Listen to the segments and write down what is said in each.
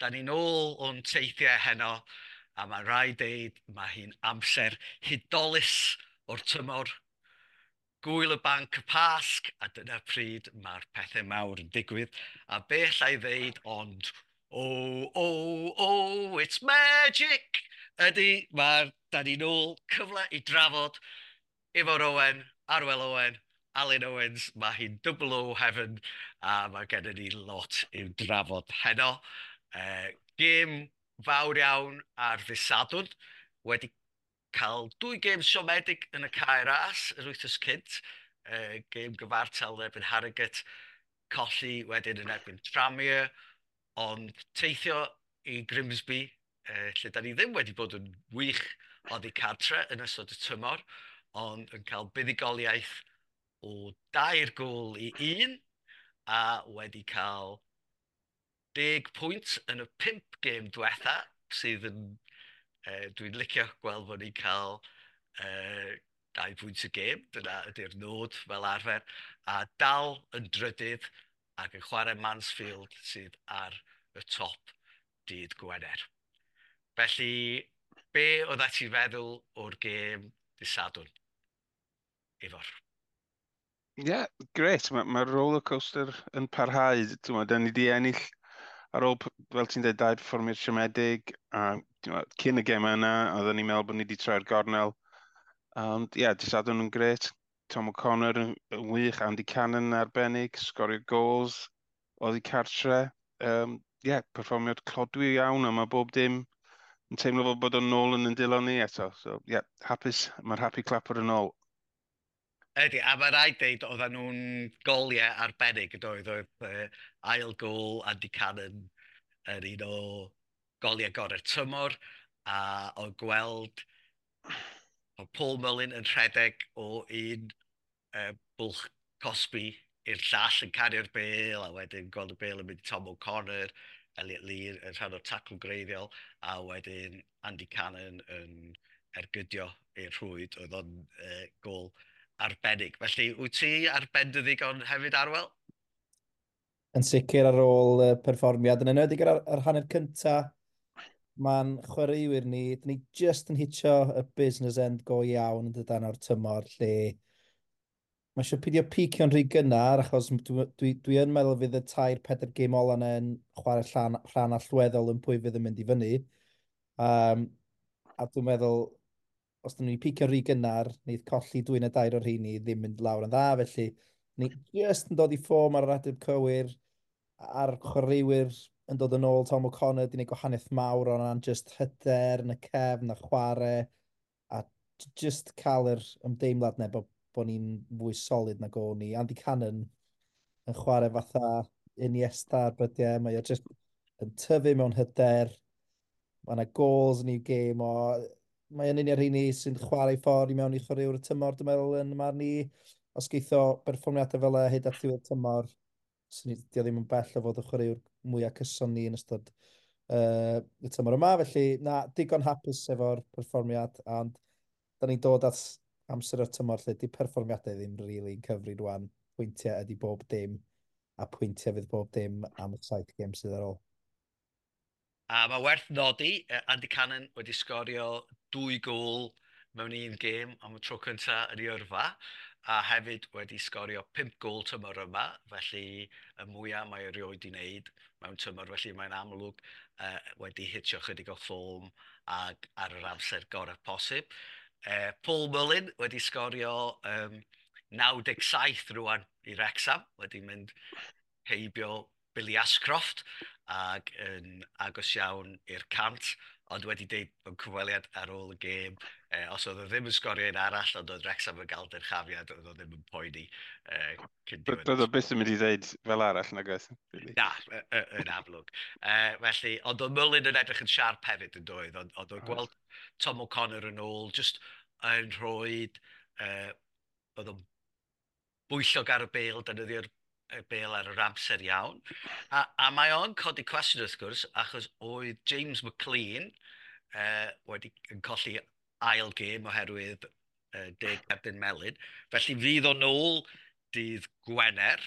Da ni'n ôl o'n teithiau heno, a mae rhaid deud mae hi'n amser hudolus o'r tymor. Gwyl y Banc y Pasg, a dyna pryd mae'r pethau mawr yn digwydd. A be alla i ddeud ond, "Oh, oh, oh, it's magic!" Ydy, mae'r, da ni'n ôl, cyfle i drafod Ifor Owen, Arwel Owen, Alun Owens, mae hi'n double O heaven, a mae gennym ni lot i'w drafod heno. Gêm fawr iawn ar ddydd Sadwrn, wedi cael dwy gêm siomedig yn y Cae Ras yr wythnos cynt. Gêm gyfartal yn erbyn Harrogate, colli wedyn yn erbyn Tranmere, ond teithio i Grimsby, lle da ni ddim wedi bod yn wych oddi cartre yn ystod y tymor, ond yn cael buddugoliaeth o 3 gôl i 1, a wedi cael 10 pwynt yn y pump gêm diwetha, sydd yn, dwi'n licio gweld bod ni'n cael 2 pwynt y gêm, dyna ydy'r nod fel arfer, a dal yn drydydd ac yn chwarae Mansfield sydd ar y top dydd Gwener. Felly, be oedd ti'n feddwl o'r gêm dydd Sadwrn? Ifor. Ie, yeah, grêt. Mae'r ma roller coaster yn parhau. Ti'n, da ni wedi ennill ar ôl, fel ti'n dweud, dau perfformiad siomedig. A cyn y gêm yna, oedden ni'n meddwl bod ni wedi troi'r gornel. Ond ie, yeah, dydd Sadwrn yn grêt. Tom O'Connor yn wych, Andy Cannon yn arbennig, sgorio goals oddi cartre. Yeah, perfformiad clodwiw iawn, a mae bob dim yn teimlo fel bod o'n nôl yn dwylo ni eto. So, yeah, hapus, mae'r happy clapper yn ôl. Ydy, a mae rhaid deud oedden nhw'n goliau arbennig yn doedd, oedd ail gôl Andy Cannon yn un o goliau gorau'r tymor, a o gweld o Paul Mullin yn rhedeg o un bwlch cosbi i'r llall yn cario'r bêl, a wedyn gweld y bêl yn mynd i Tom O'Connor, Elliot Lee yn rhan o'r tacl greiddiol, a wedyn Andy Cannon yn ergydio i'r rhwyd, oedd o'n gôl arbennig. Felly, wyt ti ar ben dy ddigon hefyd, Arwel? Yn sicr ar ôl perfformiad, yn enwedig ar hanner cynta, mae'n chwaraewyr ni, dyn ni just yn hitio y business end go iawn yn dydan o'r tymor, lle mae eisiau pidio picio'n rhy gynnar, achos dwi yn meddwl fydd y tair, pedair gêm ola yna yn chwarae rhan allweddol yn pwy fydd yn mynd i fyny. A dwi'n meddwl, os dyn ni'n picio rhy gynnar, neith colli dwy neu dair o'r rheini ddim mynd lawr yn dda, felly ni just yn dod i form ar yr adeg cywir, a'r chwaraewyr yn dod yn ôl. Tom O'Connor di wneud gwahaniaeth mawr o'n ran just hyder yn y cefn a chwarae, a just cael yr ymdeimlad 'na bod ni'n fwy solid nag o'n ni. Andy Cannon yn chwarae fatha Iniesta ar brydiau, mae o just yn tyfu mewn hyder, mae yna goals yn ei gêm o, mae yn un o'r rheini sy'n chwarae ffordd i mewn i chwaraewr y tymor, dwi'n meddwl, yn marn i. Os geith o berfformiadau fel e hyd at ddiwedd tymor, sy'n ni, di o ddim yn bell o fod y chwaraewr mwyaf cyson ni yn ystod y tymor yma. Felly, na, digon hapus efo'r perfformiad, ond da ni'n dod at amser o'r tymor lle di perfformiadau ddim really yn cyfri rwan. Pwyntiau ydy bob dim, a pwyntiau fydd bob dim am y 7 gêm sydd ar ôl. A mae werth nodi, Andy Cannon wedi sgorio dwy gôl mewn un gêm am y tro cyntaf yn ei yrfa, a hefyd wedi sgorio pump gôl tymor yma, felly y mwyaf mae erioed i wneud mewn tymor, felly mae'n amlwg wedi hitio chydig o form ag ar yr amser gorau posib. Paul Mullin wedi sgorio 97 rwan i Wrexham, wedi mynd heibio Billy Ashcroft ac yn agos iawn i'r 100, ond wedi deud mewn cyfweliad ar ôl y gêm, os oedd o ddim yn sgorio un arall, ond oedd Wrexham yn gael dyrchafiad, oedd o ddim yn poeni cyn diwedd. Bydd o byth yn mynd i ddeud fel arall, nag oedd? Really. Na, yn amlwg. Felly, ond oedd Mullin yn edrych yn siarp hefyd yn doedd, ond oedd gweld Tom O'Connor yn ôl, just yn rhoi, oedd o'n bwyllog ar y bêl, defnyddio'r y bêl ar yr amser iawn. A mae o'n codi cwestiwn wrth gwrs, achos oedd James McLean wedi yn colli ail gêm oherwydd 10 cerdyn melyn. Felly fydd o'n ôl dydd Gwener,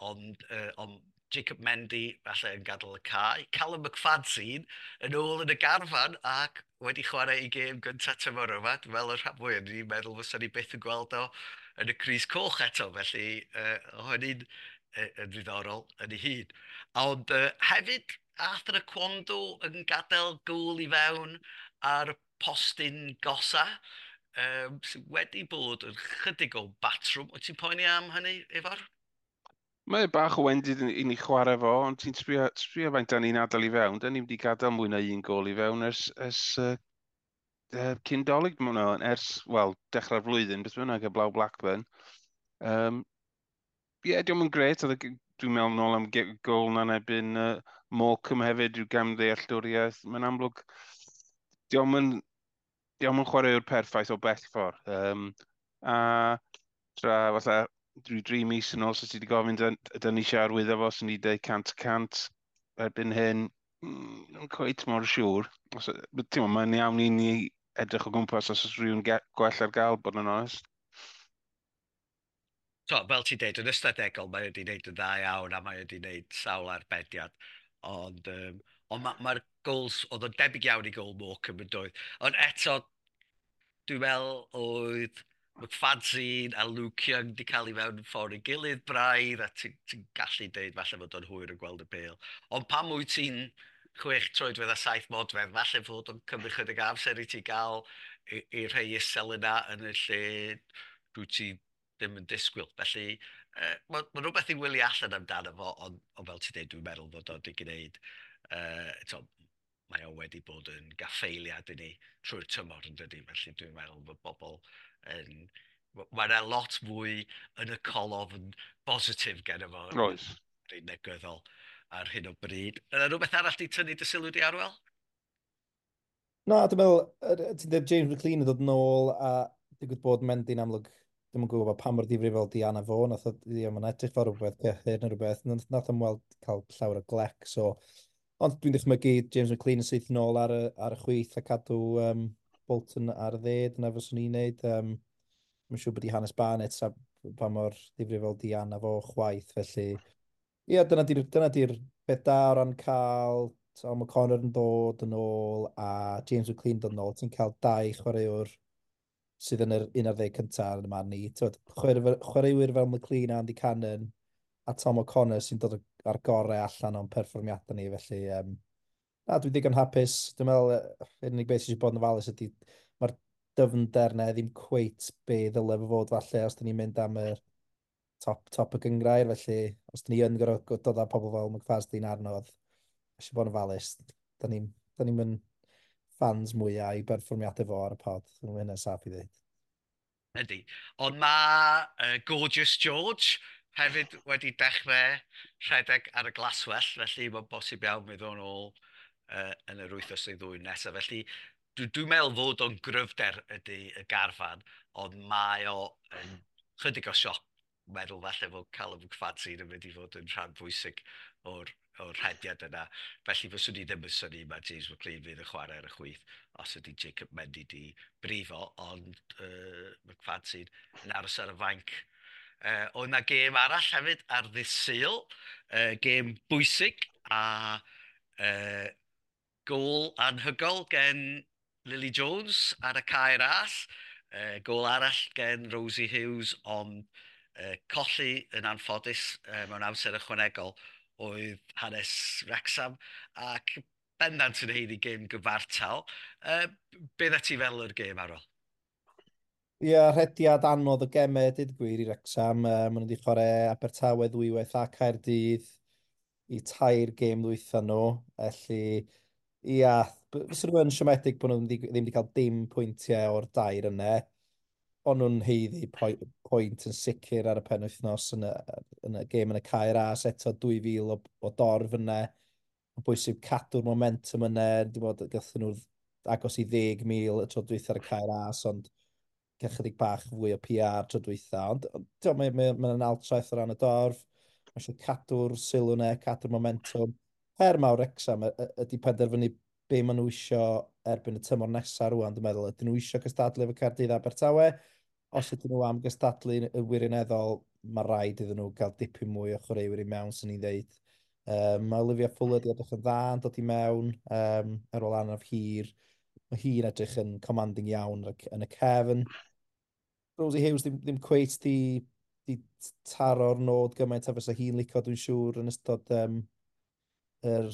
ond Jacob Mendy falle yn gadael y cae. Callum McFadzean yn ôl yn y garfan ac wedi chwarae ei gêm gyntaf tymor yma. Dwi'n meddwl y rhan fwyaf ni'n meddwl fysa ni byth yn gweld o yn y crys coch eto, felly o hynny'n yn ddiddorol yn ei hun. Ond hefyd, Arthur Akwando yn gadael gôl i fewn ar y postyn gosa, sydd wedi bod yn chydig o batrwm. Wyt ti'n poeni am hynny, Ifor? Mae bach o wendid i ni chwarae fo, ond ti'n sbio faint da ni'n adael i fewn. Da ni wedi gadael mwy na un gôl i fewn ers cyn Dolig, ers, wel, dechrau'r flwyddyn, beth bynnag, heblaw Blackburn. Ie, yeah, diolch yn gret. Dwi'n meddwl nôl am gôl na'n erbyn Morecambe hefyd, rhyw gamddealltwriaeth. Mae'n amlwg, diolch yn chwaraewr perffaith o bell ffordd. A tra fatha drwy 3 mis yn ôl, so ti wedi gofyn dyn ni eisiau arwyddo fo, sy'n ni dweud 100% erbyn hyn, yn cweit mor siŵr. Mae'n iawn i ni edrych o gwmpas os oes rhywun gwell ar gael, bod yn onest. So, fel ti'n deud, yn ystadegol mae wedi wneud yn dda iawn a mae wedi wneud sawl arbediad. Ond mae'r goals, oedd o'n debyg iawn i gôl Morecambe yn doedd. Ond eto, dwi'n meddwl oedd McFadzean a Luke Young wedi cael ei fewn ffordd i gilydd braidd, a ti'n gallu deud falle fod o'n hwyr yn gweld y bêl. Ond pan wyt ti'n 6 troedfedd a 7 modfedd, falle fod o'n cymryd chydig amser i ti gael i rhai isel yna yn y lle dwi ti ddim yn disgwyl. Felly, mae rhywbeth i wylio allan amdano fo, ond fel ti'n deud, dwi'n meddwl fod o wedi gwneud, mae o wedi bod yn gaffeiliad i ni trwy'r tymor yn dydy, felly dwi'n meddwl bod bobl yn... Mae yna lot fwy yn y colofn bositif gen fo. Oes. Rhaid negyddol ar hyn o bryd. Yna rhywbeth arall di tynnu dy sylw di, Arwel? Na, dwi'n meddwl, ti'n dweud James McLean yn dod nôl a digwydd bod Mendy'n amlwg, ddim yn gwybod pa mor ddifrifol di anaf fo, nath o, mae'n edrych fel rhywbeth cyhyr neu rhywbeth, nath o'n weld cael llawer o glec, so... Ond dwi'n dychmygu James McLean yn syth nôl ar y chwith a cadw Bolton ar y dde, dyna fyswn i'n neud. Mae'n siŵr bod i Hannes Barnett a pa mor ddifrifol di anaf o chwaith, felly... Ie, dyna di'r beth da o ran cael Tom O'Connor yn dod yn ôl a James McLean dod yn ôl. Ti'n cael 2 chwaraewr sydd yn yr 11 cyntaf yn y man ni. Chwaraewyr fel McLean a Andy Cannon a Tom O'Connor sy'n dod ar gorau allan o'n perfformiadau ni, felly na, dwi'n ddigon hapus. Dwi'n meddwl, yr unig beth sydd wedi bod yn ofalus ydy mae'r dyfnder na ddim cweit be ddyle fo fod falle os dyn ni'n mynd am yr top y gynghrair, felly os dyn ni yn gorfod dod â pobl fel McFadzean arno, eisiau bod yn ofalus. Da ni'n mynd fans mwyaf i berfformiadau fo ar y pod, dwi'n hynny'n saff i ddweud. Ydy. Ond mae Gorgeous George hefyd wedi dechrau rhedeg ar y glaswellt, felly mae'n bosib iawn fydd o'n ôl yn yr wythnos neu ddwy nesaf. Felly dwi'n meddwl fod o'n gryfder ydy y garfan, ond mae o yn chydig o sioc meddwl falle fod Callum McFadzean yn mynd i fod yn rhan bwysig o'r rhediad yna. Felly fyswn i ddim yn synnu mae James McLean fydd yn chwarae ar y chwith os ydy Jacob Mendy di brifo, ond McFadzean yn aros ar y fainc. Oedd yna gêm arall hefyd ar ddydd Sul, gêm bwysig a gôl anhygol gen Lily Jones ar y Cae Ras, gôl arall gen Rosie Hughes, ond colli yn anffodus mewn amser ychwanegol oedd hanes Wrexham, ac bendant yn haeddu gêm gyfartal. Be dda ti fel yr gêm, Arwel? Ie, rhediad anodd o gemau, dweud gwir, i Wrexham. Maen nhw wedi chwarae Abertawe ddwywaith a Caerdydd i 3 gêm ddwytha nhw. Felly, ia, fyswn nhw yn siomedig bod nhw ddim wedi cael dim pwyntiau o'r dair yna. Ond nhw'n haeddu pwynt yn sicr ar y penwythnos yn y gêm yn y Cae Ras, eto 2,000 o dorf yna. Mae'n bwysig cadw'r momentum yna. Dwi'n meddwl gathon nhw agos i 10,000 y tro dwytha ar y Cae Ras, ond chydig bach fwy o PR tro dwytha. Ond mae'n altraeth o ran y dorf. Mae eisiau cadw'r sylw yna, cadw'r momentum. Her mawr Wrexham ydy penderfynu be maen nhw isio erbyn y tymor nesaf rŵan, dwi'n meddwl. Ydyn nhw isio cystadlu efo Caerdydd Abertawe? Os ydyn nhw am gystadlu yn wirioneddol, mae rhaid iddyn nhw gael dipyn mwy o chwaraewyr i mewn, sy'n ni'n dweud. Mae Olivia Fuller wedi edrych yn dda yn dod i mewn ar ôl anaf hir. Mae hi'n edrych yn commanding iawn yn y cefn. Rosie Hughes ddim cweit di taro'r nod gymaint a fysa hi'n licio, dwi'n siŵr, yn ystod yr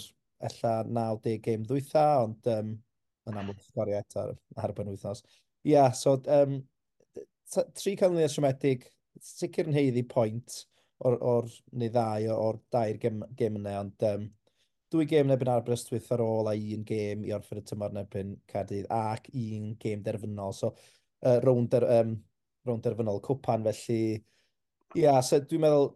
ella 90 gêm ddwytha, ond yn amlwg sgorio eto ar y penwythnos. Ia, yeah, so tri canlyniad siomedig, sicr yn haeddu pwynt o'r neu ddau o'r dair gêm yna, ond dwy gêm yn erbyn Aberystwyth ar ôl a un gêm i orffen y tymor yn erbyn Caerdydd ac un gêm derfynol. So, rownd derfynol cwpan, felly ia, yeah, so dwi'n meddwl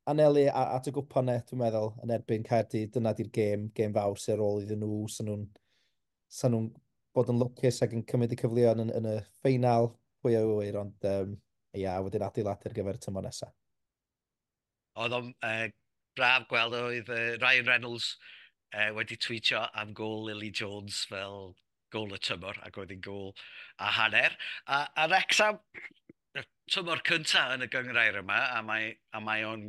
anelu at y gwpan e, dwi'n meddwl, yn erbyn Caerdydd, dyna di'r gêm fawr sy'n ar ôl iddyn nhw, sa nhw'n bod yn lwcus ac yn cymryd y cyfleoedd yn y ffeinal, pwy a ŵyr, ond ia, wedyn adeiladu ar gyfer y tymor nesaf. Oedd o'n braf gweld oedd Ryan Reynolds wedi tweetio am gôl Lily Jones fel gôl y tymor, ac oedd hi'n gôl a hanner. A Wrexham, y tymor cyntaf yn y gynghrair yma, a mae o'n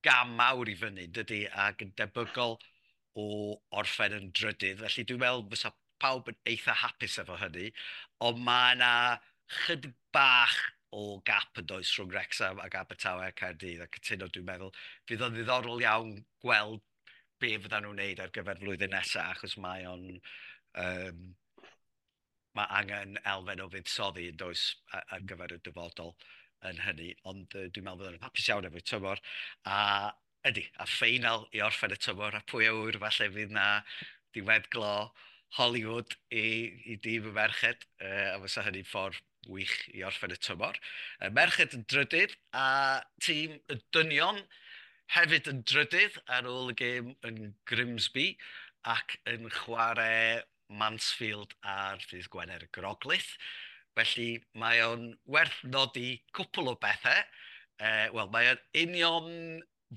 gam mawr i fyny, dydy, ac yn debygol o orffen yn drydydd. Felly dwi'n meddwl fysa pawb yn eitha hapus efo hynny, ond mae yna chydig bach o gap yn does rhwng Wrexham ac Abertawe a Caerdydd a cytuno, dwi'n meddwl. Fydd o'n ddiddorol iawn gweld be fyddan nhw'n wneud ar gyfer flwyddyn nesaf, achos mae angen elfen o fuddsoddi yn does ar gyfer y dyfodol yn hynny, ond dwi'n meddwl fyddan nhw'n hapus iawn efo'r tymor, a ydy, a ffeinal i orffen y tymor, a pwy a ŵyr, falle fydd na diweddglo Hollywood i dîm y merched, a fysa hynny'n ffordd wych i orffen y tymor. Y merched yn drydydd, a tîm y dynion hefyd yn drydydd ar ôl y gêm yn Grimsby ac yn chwarae Mansfield ar ddydd Gwener y Groglith. Felly mae o'n werth nodi cwpl o bethau. Wel, mae o'n union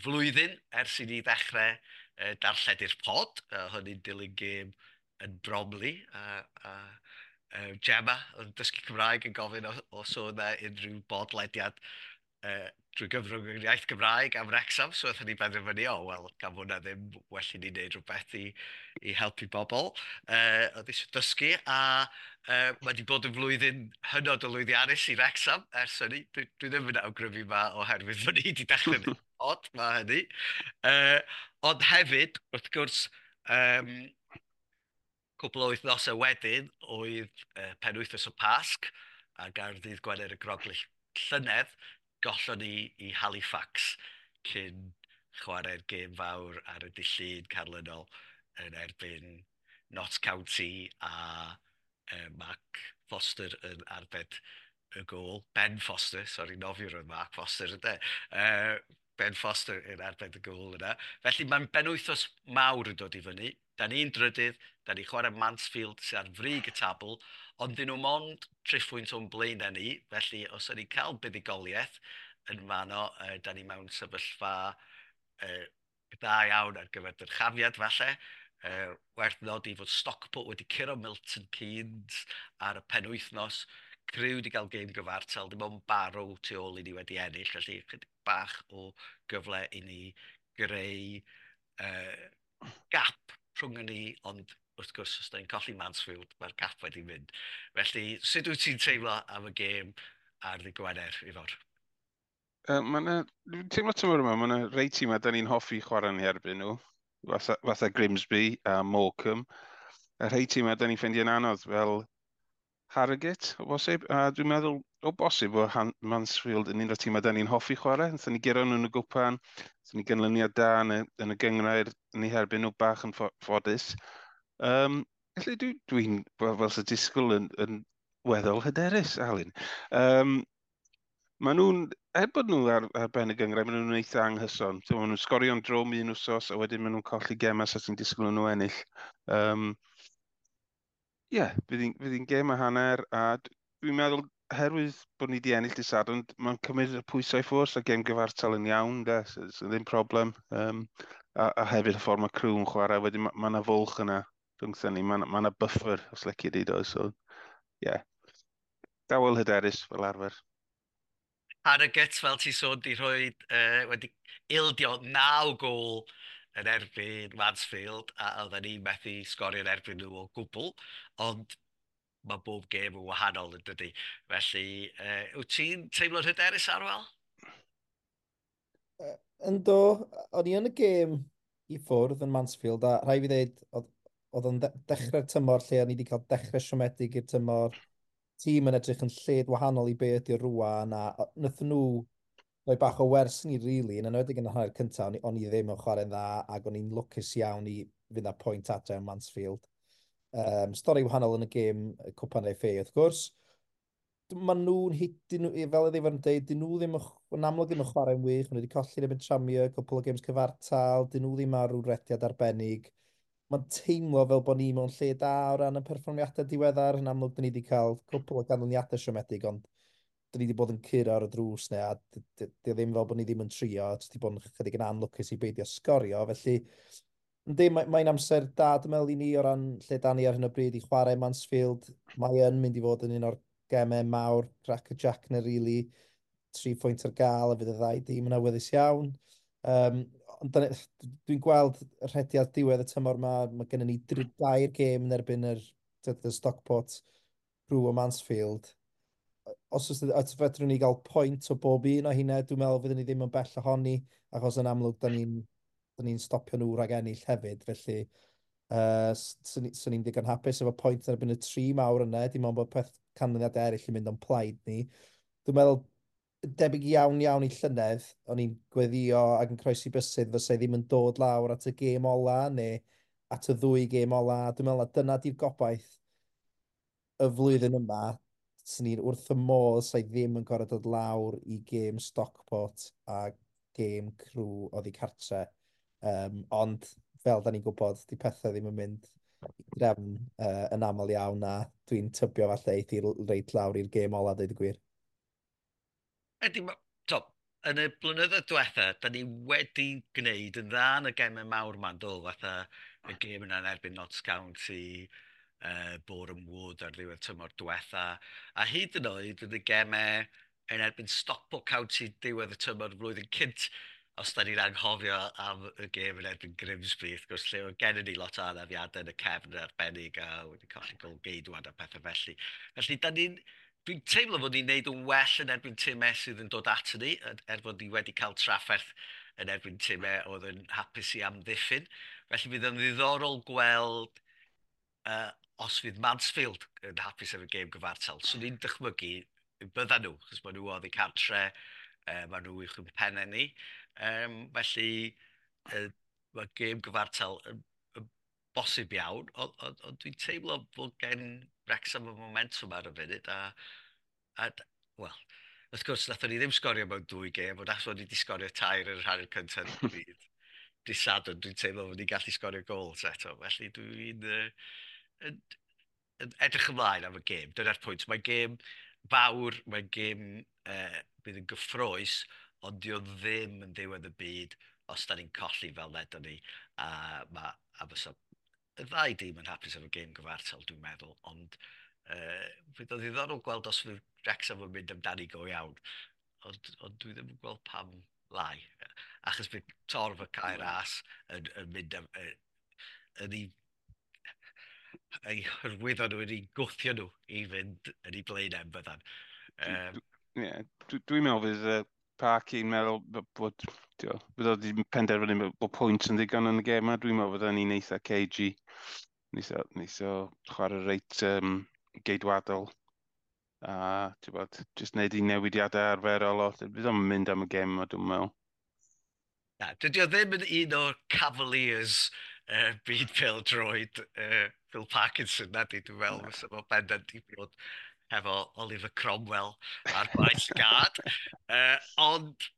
flwyddyn ers i ni ddechrau darlledu'r pod. Hynny'n dilyn gêm yn Bromley. A Gemma yn dysgu Cymraeg yn gofyn os oedd yna unrhyw bodlediad drwy gyfrwng yr iaith Gymraeg am Wrexham, so wnaethon ni benderfynu, o, wel, gan fod na ddim, well i ni wneud rhywbeth i helpu bobl. Oedd eisiau dysgu, a mae wedi bod yn flwyddyn hynod o lwyddiannus i Wrexham ers hynny. Dwi ddim yn awgrymu ma oherwydd fod ni wedi dechrau pod, mae hynny. Ond hefyd, wrth gwrs, cwpl o wythnosau wedyn oedd penwythnos o Pasg, ac ar ddydd Gwener y Groglith llynedd, gollon ni i Halifax cyn chwarae'r gêm fawr ar y dydd Llun canlynol yn erbyn Notts County a Mark Foster yn arbed y gôl. Ben Foster, sori, nofiwr oedd Mark Foster ydy. Ben Foster yn arbed y gôl yna. Felly mae'n benwythnos mawr yn dod i fyny. Da ni'n drydydd, da ni'n chwarae Mansfield sydd ar frig y tabl, ond dyn nhw mond 3 phwynt o'n blaenau ni, felly os ydyn ni'n cael buddugoliaeth yn fanno, da ni mewn sefyllfa dda iawn ar gyfer dyrchafiad falle. Werth nodi fod Stockport wedi curo Milton Keynes ar y penwythnos. Crew wedi cael gêm gyfartal, dim ond Barrow tu ôl i ni wedi ennill, felly chydig bach o gyfle i ni greu gap rhwng ni, ond wrth gwrs, os da ni'n colli Mansfield, mae'r gap wedi mynd. Felly, sut wyt ti'n teimlo am y gêm ar ddydd Gwener, Ifor? Dwi'n teimlo tymor yma, mae yna rei tîmau da ni'n hoffi chwarae yn erbyn nhw, fatha Grimsby a Morecambe. A rhai tîmau da ni'n ffeindio'n anodd, fel Harrogate, o bosib. A dwi'n meddwl, o bosib, o Mansfield yn un o'r tîmau da ni'n hoffi chwarae. Nathon ni guro nhw yn y gwpan, nathon ni ganlyniad da yn y gynghrair yn eu herbyn nhw bach yn ffodus. Felly dwi'n, fel sy'n disgwyl yn weddol hyderus, Alun. Maen nhw'n, er bod nhw ar ben y gynghrair, maen nhw'n eitha anghyson. So, maen nhw'n sgorio'n drwm un wsos, a wedyn maen nhw'n colli gemau sa ti'n disgwyl nhw ennill. Ie, yeah, fydd hi'n gêm a hanner, a dwi'n meddwl, oherwydd bod ni wedi ennill dydd Sadwrn, mae'n cymryd y pwysau i ffwrdd, a gêm gyfartal yn iawn, de, so ddim problem. A hefyd y ffordd mae Crew yn chwarae, wedyn ma 'na fwlch yna rhwngthyn ni, mae 'na buffer, os lici di, does, so, ie. Yeah. Dawel hyderus fel arfer. Harrogate, fel ti sôn, di rhoi, wedi ildio 9 gôl yn erbyn Mansfield, a oedden ni methu sgorio yn erbyn nhw o gwbl, ond mae bob gêm yn wahanol yn dydy. Felly, wyt ti'n teimlo'n hyderus, Arwel? Ynddo, o'n i yn y gêm i ffwrdd yn Mansfield, a rhaid fi ddweud, oedd o'n dechrau'r tymor lle o'n i wedi cael dechrau siomedig i'r tymor, tîm yn edrych yn lled wahanol i be ydy'r rwan, a wnaethon nhw rhoi bach o wers ni, really, yn enwedig yn y hanner cyntaf, o'n i ddim yn chwarae'n dda, ac o'n i'n lwcus iawn i fynd â pwynt adre yn Mansfield. Stori wahanol yn y gêm Cwpan FA, wrth gwrs. Maen nhw'n hit, fel ydy yn dweud, dyn nhw ddim yn amlwg ddim yn chwarae'n wych, maen nhw wedi colli'n erbyn Tranmere, cwpl o games cyfartal, dyn nhw ddim ar rhyw rediad arbennig. Mae'n teimlo fel bod ni mewn lle da o ran y perfformiadau diweddar. Yn amlwg, dyn ni wedi cael cwpl o ganlyniadau siomedig, ond dyn ni wedi bod yn curo ar y drws neu, a di ddim fel bod ni ddim yn trio, jyst wedi bod yn chydig yn anlwcus i beidio sgorio. Felly, yndi, mae'n amser da, dwi'n meddwl, i ni o ran lle da ni ar hyn o bryd i chwarae Mansfield. Mae yn mynd i fod yn un o'r gemau mawr, crack y jack na, really. 3 pwynt ar gael, a fydd y ddau dîm yn awyddus iawn. Ond dwi'n gweld y rhediad diwedd y tymor yma, mae gennym ni dair gêm yn erbyn y Stockport, Crewe a Mansfield. Os fedrwn ni gael pwynt o bob un o hynna, dwi'n meddwl fyddwn ni ddim yn bell ohoni, achos yn amlwg, da ni stopio nhw rhag ennill hefyd, felly swn i'n digon hapus efo pwynt yn erbyn y tri mawr yna, dim ond bod peth canlyniadau eraill yn mynd o'n plaid ni. Dwi'n meddwl, debyg iawn iawn i llynedd, o'n i'n gweddio ac yn croesi bysedd fysa ddim yn dod lawr at y gêm ola neu at y ddwy gêm ola. Dwi'n meddwl na dyna di'r gobaith y flwyddyn yma. Swn i'n wrth y modd sa'i ddim yn gorfod dod lawr i gêm Stockport a gêm Crewe oddi cartre. Ond fel da ni'n gwybod, di pethau ddim yn mynd i drefn yn aml iawn a dwi'n tybio falle eith i reit lawr i'r gêm ola, dweud y gwir. Ydy, to, yn y blynyddoedd diwetha, da ni wedi gwneud yn dda yn y gemau mawr ma'n do, fatha y gêm yna yn erbyn Notts County, Boreham Wood ar ddiwedd tymor diwetha, a hyd yn oed yn y gemau yn erbyn Stockport County diwedd y tymor flwyddyn cynt, os da ni'n anghofio am y gêm yn erbyn Grimsby, wrth gwrs, lle oedd gennym ni lot o anafiadau yn y cefn yn arbennig a wedi colli gol geidwad a pethau felly. Felly, da ni'n dwi'n teimlo fod ni'n neud yn well yn erbyn timau sydd yn dod at ni, er fod ni wedi cael trafferth yn erbyn timau oedd yn hapus i amddiffyn. Felly fydd yn ddiddorol gweld os fydd Mansfield yn hapus efo gêm gyfartal. So ni'n dychmygu byddan nhw, chos maen nhw oddi cartre, maen nhw uwch ein pennau ni. Felly mae gêm gyfartal yn bosib iawn, ond on dwi'n teimlo bod gen Wrexham y momentum ar y funud, a wel, wrth gwrs, nathon ni ddim sgorio mewn dwy gêm, ond achos ni wedi sgorio tair yn yr hanner cyntaf dydd Sadwrn, dwi'n teimlo fod ni'n gallu sgorio gols eto, felly dwi'n yn edrych ymlaen am y gêm. Dyna'r pwynt. Mae'n gêm fawr, mae'n gêm bydd yn gyffrous, ond di o ddim yn ddiwedd y byd os da ni'n colli fel ledon ni. A fysa y ddau dîm yn hapus efo gêm gyfartal, dwi'n meddwl, ond fydd o ddiddorol gweld os fydd Wrexham yn mynd amdani go iawn. Ond dwi ddim yn gweld pam lai. Achos bydd torf y Cae Ras yn mynd yn ei hyrwyddo nhw, yn ei gwthio nhw i fynd yn ei blaenau yn byddan. Yeah, dwi'n meddwl fydd Parky'n meddwl bod, bydd o wedi penderfynu bod pwynt yn ddigon yn y gêm yma. Dwi'n meddwl bod ni'n eitha cagey. Neith o chwarae reit geidwadol. A, ti'n bod, jyst wneud i newidiadau arferol o. Bydd o'n mynd am y gêm yma, dwi'n meddwl. Na, dydy o ddim yn un o'r Cavaliers byd pêl-droed Phil Parkinson, na di, dwi'n meddwl, fysa fo bendant i bod hefo Oliver Cromwell ar faes gad. Ond,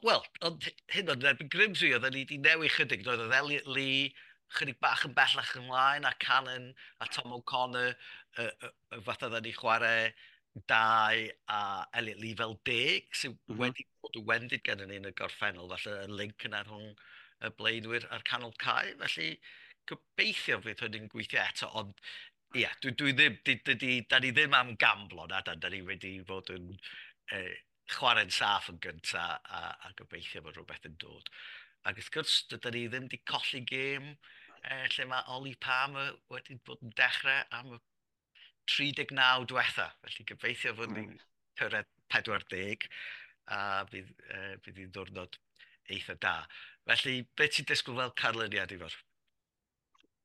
wel, ond hyn o'n erbyn Grimsby, oedden ni wedi newid chydig, doedd oedd Elliot Lee chydig bach yn bellach ymlaen, a Cannon a Tom O'Connor, fatha oedden ni chwarae dau a Elliot Lee fel 10, sydd wedi bod yn wendid gennym ni yn y gorffennol, falle y link yna rhwng y blaenwyr a'r canol cae, felly gobeithio fydd hynny'n gweithio eto, ond ie, yeah, dwi ddim, di, di, di, da ni ddim am gamblo na, da ni wedi bod yn Chwarae'n saff yn gyntaf a gobeithio bod rhywbeth yn dod. Ac wrth gwrs, dydyn ni ddim wedi colli gêm lle mae Ollie Palmer wedi bod yn dechrau am y 39 diwetha. Felly gobeithio fod ni'n cyrraedd 40 a bydd hi'n ddwrnod eitha da. Felly, beth ti'n disgwyl fel canlyniad i fod?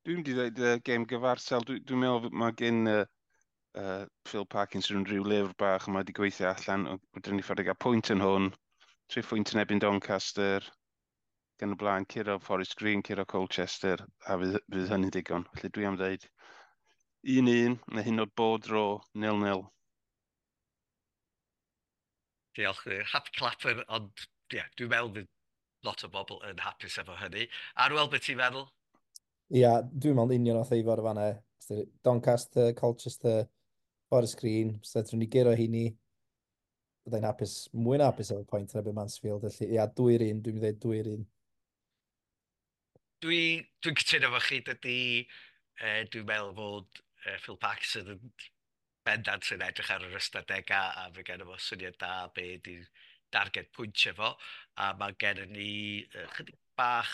Dwi'n mynd i ddweud gêm gyfartal. Dwi'n meddwl mae gen Phil Parkinson rhyw lyfr bach yma wedi gweithio allan. Rydyn ni ffordd i gael pwynt yn hwn, 3 phwynt yn erbyn Doncaster, gan y blaen, curo Forest Green, curo Colchester, a fydd hynny'n digon. Felly dwi am dweud 1-1, neu hyn oed bod draw, 0-0. Diolch. Happy clapper, ond yeah, dwi'n meddwl bydd lot o bobl yn hapus efo hynny. Arwel, beth ti'n meddwl? Ia, dwi'n meddwl union o'r Ifor o fanna. Doncaster, Colchester, Forest Green, so drwy ni guro heini, byddai'n hapus, mwy na hapus efo pwynt yn erbyn Mansfield. Felly, ia, 2-1, dwi'n dweud 2-1. Dwi'n cytuno efo chi, dydy, dwi'n meddwl fod Phil Parkinson yn bendant yn edrych ar yr ystadegau a fe gen fo syniad da be di'r darged pwyntiau fo. A mae gen ni chydig bach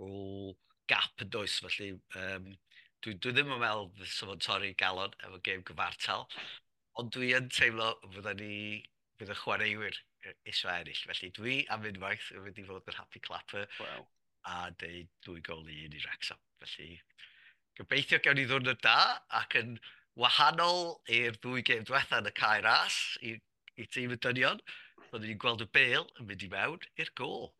o gap yn does, felly dwi ddim yn meddwl fysa fo'n torri galon efo gêm gyfartal, ond dwi yn teimlo fydda ni, fydd y chwaraewyr eisiau ennill. Felly dwi am unwaith yn mynd i fod yn happy clapper a deud 2 gôl i 1 i Wrexham. Felly gobeithio gawn ni ddwrnod da ac yn wahanol i'r ddwy gêm diwetha yn y Cae Ras i tîm y dynion, byddwn ni'n gweld y bêl yn mynd i mewn i'r gôl.